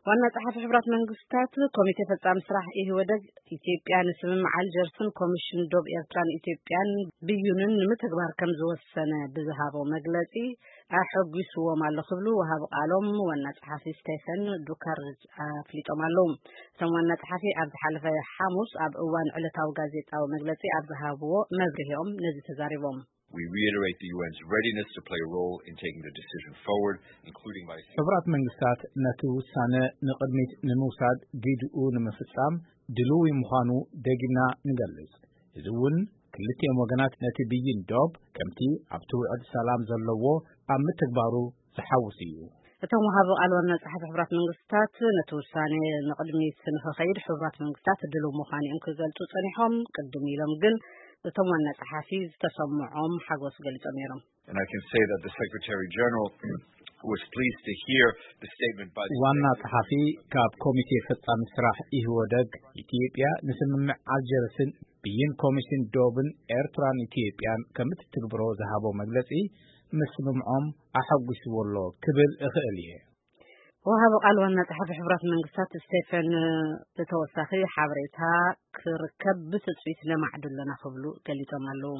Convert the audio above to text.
ዋና ጸሓፊ ሕቡራት መንግስታት ኮሚቴ ፈጻሚ ስራሕ ኢህወደግ ኢትዮጵያ ንስምምዕ ኣልጀርስን ኮሚሽን ዶብ ኤርትራን ኢትዮጵያን ብይኑን ንምትግባር ከም ዝወሰነ ብዝሃቦ መግለጺ ኣሐጒስዎም ኣሎ ክብሉ ወሃቢ ቃሎም ዋና ጸሓፊ ስቴፈን ዱካርጅ ኣፍሊጦም ኣለዉ። እቶም ዋና ጸሓፊ ኣብ ዝሓለፈ ሓሙስ ኣብ እዋን ዕለታዊ ጋዜጣዊ መግለጺ ኣብ ዝሃብዎ መብርሂኦም ነዚ ተዛሪቦም። We reiterate the U N's readiness to play a role in taking the decision forward, including by ሕቡራት መንግስታት ነቲ ውሳነ ንቕድሚት ንምውሳድ ግድኡ ንምፍጻም ድልዊ ምዃኑ ደጊምና ንገልጽ። እዚ እውን ክልቲኦም ወገናት ነቲ ብይን ዶብ ከምቲ ኣብቲ ውዕል ሰላም ዘለዎ ኣብ ምትግባሩ ዝሓውስ እዩ። እቶም ወሃቢ ቃል ዋና ጸሓፊ ሕቡራት መንግስታት ነቲ ውሳኔ ንቕድሚት ንኽኸይድ ሕቡራት መንግስታት ድልው ምዃኑ እዮም ክገልጹ ጸኒሖም። ቅድም ኢሎም ግን እቶም ዋና ጸሓፊ ዝተሰምዖም ሓጎስ ገሊጾም ነይሮም። And I can say that the Secretary General was pleased to hear the statement by the ዋና Secretary ጸሓፊ ካብ ኮሚቴ ፈጻሚ ስራሕ ኢህወደግ ኢትዮጵያ ንስምምዕ ኣልጀርስን ብይን ኮሚሽን ዶብን ኤርትራን ኢትዮጵያን ከም እትትግብሮ ዝሃቦ መግለጺ ምስምምዖም ኣሐጒስዎ ኣሎ ክብል እኽእል እየ። ወሃቢ ቃል ዋና ጸሓፊ ሕቡራት መንግስታት ስቴፈን ብተወሳኺ ሓበሬታ ክርከብ ብትጽቢት ነማዕዱ ኣለና ክብሉ ገሊጾም ኣለዉ።